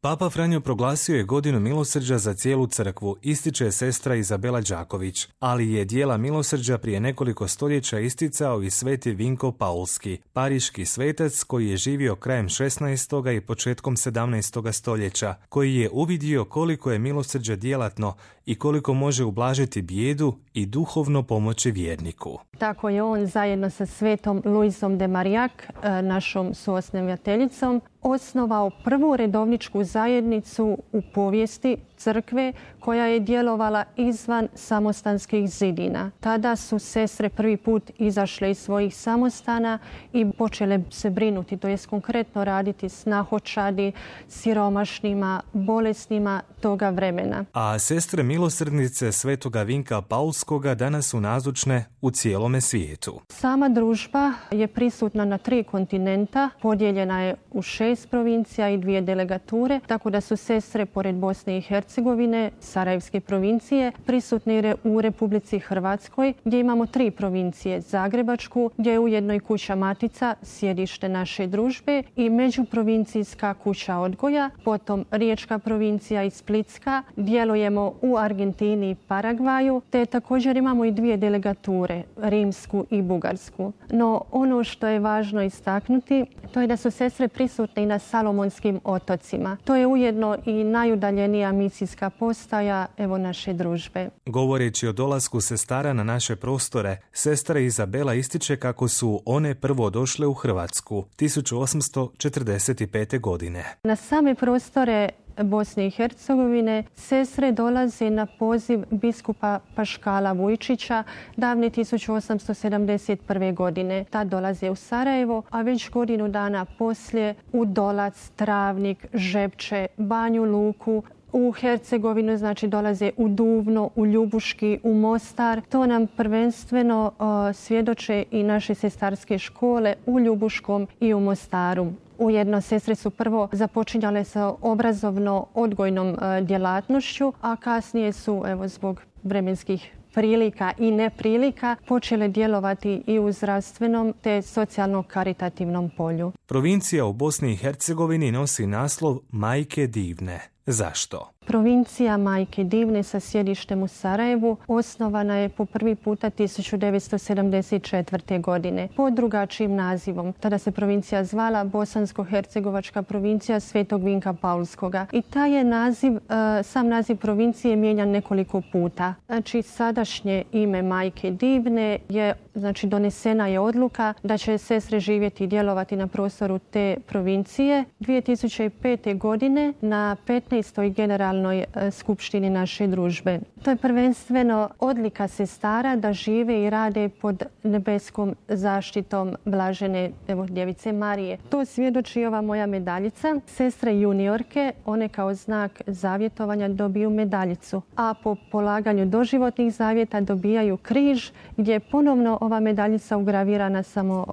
Papa Franjo proglasio je godinu milosrđa za cijelu crkvu, ističe sestra Izabela Đaković, ali je dijela milosrđa prije nekoliko stoljeća isticao i sveti Vinko Paulski, pariški svetac koji je živio krajem 16. i početkom 17. stoljeća, koji je uvidio koliko je milosrđe djelatno i koliko može ublažiti bijedu i duhovno pomoći vjerniku. Tako je on zajedno sa svetom Luizom de Marillac, našom suosnovateljicom, osnovao prvu redovničku zajednicu u povijesti crkve koja je djelovala izvan samostanskih zidina. Tada su sestre prvi put izašle iz svojih samostana i počele se brinuti, to jest konkretno raditi s nahočadi, siromašnima, bolesnima toga vremena. A sestre milosrdnice svetoga Vinka Paulskoga danas su nazočne u cijelome svijetu. Sama družba je prisutna na 3 kontinenta, podijeljena je u 6 provincija i 2 delegature, tako da su sestre pored Bosne i Hercegovine, Sarajevske provincije, prisutne u Republici Hrvatskoj, gdje imamo 3 provincije, Zagrebačku, gdje je ujedno i kuća Matica, sjedište naše družbe, i međuprovincijska kuća odgoja, potom Riječka provincija i Splitska, djelujemo u Argentini i Paragvaju, te također imamo i 2 delegature, Rimsku i Bugarsku. No ono što je važno istaknuti, to je da su sestre prisutne i na Salomonskim otocima. To je ujedno i najudaljenija misijska postaja naše družbe. Govoreći o dolasku sestara na naše prostore, sestra Izabela ističe kako su one prvo došle u Hrvatsku 1845. godine. Na same prostore Bosne i Hercegovine sestre dolaze na poziv biskupa Paškala Vujčića davne 1871. godine. Tad dolaze u Sarajevo, a već godinu dana poslije u Dolac, Travnik, Žepče, Banju Luku, u Hercegovinu, znači dolaze u Duvno, u Ljubuški, u Mostar. To nam prvenstveno svjedoče i naše sestarske škole u Ljubuškom i u Mostaru. Ujedno sestre su prvo započinjale sa obrazovno-odgojnom djelatnošću, a kasnije su, zbog vremenskih prilika i neprilika, počele djelovati i u zdravstvenom te socijalno-karitativnom polju. Provincija u Bosni i Hercegovini nosi naslov Majke divne. Zašto? Provincija Majke divne sa sjedištem u Sarajevu osnovana je po prvi puta 1974. godine pod drugačijim nazivom. Tada se provincija zvala Bosansko-hercegovačka provincija Svetog Vinka Paulskoga. I taj je sam naziv provincije mijenjan nekoliko puta. Znači, sadašnje ime Majke divne je, donesena je odluka da će sestre živjeti i djelovati na prostoru te provincije. 2005. godine na 15. generalnoj skupštini naše družbe. To je prvenstveno odlika sestara da žive i rade pod nebeskom zaštitom blažene djevice Marije. To svjedoči ova moja medaljica. Sestre juniorke, one kao znak zavjetovanja dobiju medaljicu, a po polaganju doživotnih zavjeta dobijaju križ gdje je ponovno ova medaljica ugravirana samo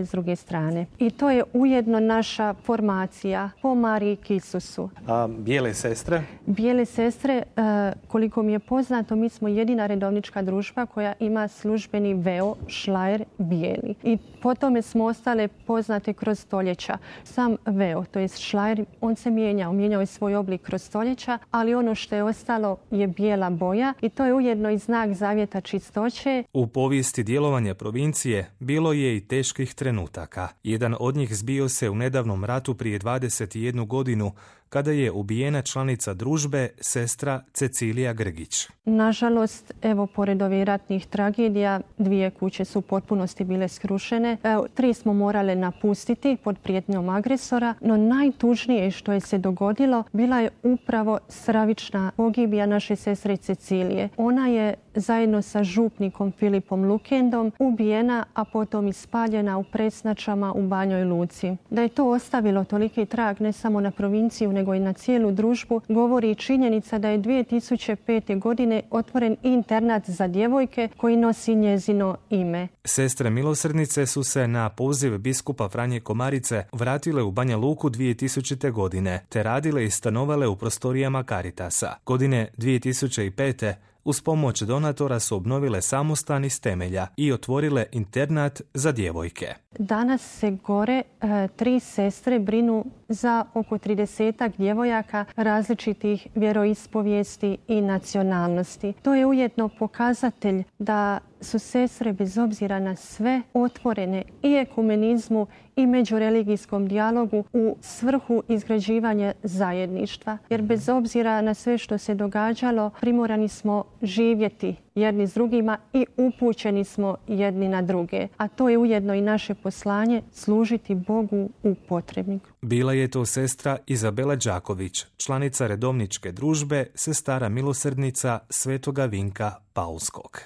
s druge strane. I to je ujedno naša formacija po Mariji Isusu. A bijele sestre? Bijele sestre, koliko mi je poznato, mi smo jedina redovnička družba koja ima službeni veo, šlajer, bijeli. I po tome smo ostale poznate kroz stoljeća. Sam veo, to je šlajer, on se mijenjao je svoj oblik kroz stoljeća, ali ono što je ostalo je bijela boja i to je ujedno i znak zavjeta čistoće. U povijesti djelovanja provincije bilo je i teških trenutaka. Jedan od njih zbio se u nedavnom ratu prije 21 godinu, kada je ubijena članica družbe, sestra Cecilija Grgić. Nažalost, pored ovih ratnih tragedija, 2 kuće su u potpunosti bile skrušene. 3 smo morale napustiti pod prijetnjom agresora, no najtužnije što je se dogodilo bila je upravo stravična pogibija naše sestre Cecilije. Ona je zajedno sa župnikom Filipom Lukendom ubijena, a potom ispaljena u Presnačama u Banjoj Luci. Da je to ostavilo toliki trag ne samo na provinciju, nego i na cijelu družbu, govori i činjenica da je 2005. godine otvoren internat za djevojke koji nosi njezino ime. Sestre milosrdnice su se na poziv biskupa Franje Komarice vratile u Banja Luku 2000. godine, te radile i stanovale u prostorijama Caritasa. Godine 2005. Uz pomoć donatora su obnovile samostan iz temelja i otvorile internat za djevojke. Danas se gore 3 sestre brinu za oko 30 djevojaka različitih vjeroispovijesti i nacionalnosti. To je ujedno pokazatelj da su sestre bez obzira na sve otvorene i ekumenizmu i međureligijskom dijalogu u svrhu izgrađivanja zajedništva. Jer bez obzira na sve što se događalo, primorani smo živjeti jedni s drugima i upućeni smo jedni na druge. A to je ujedno i naše poslanje, služiti Bogu u potrebi. Bila je to sestra Izabela Đaković, članica redovničke družbe, sestara milosrdnica Svetoga Vinka Paulskog.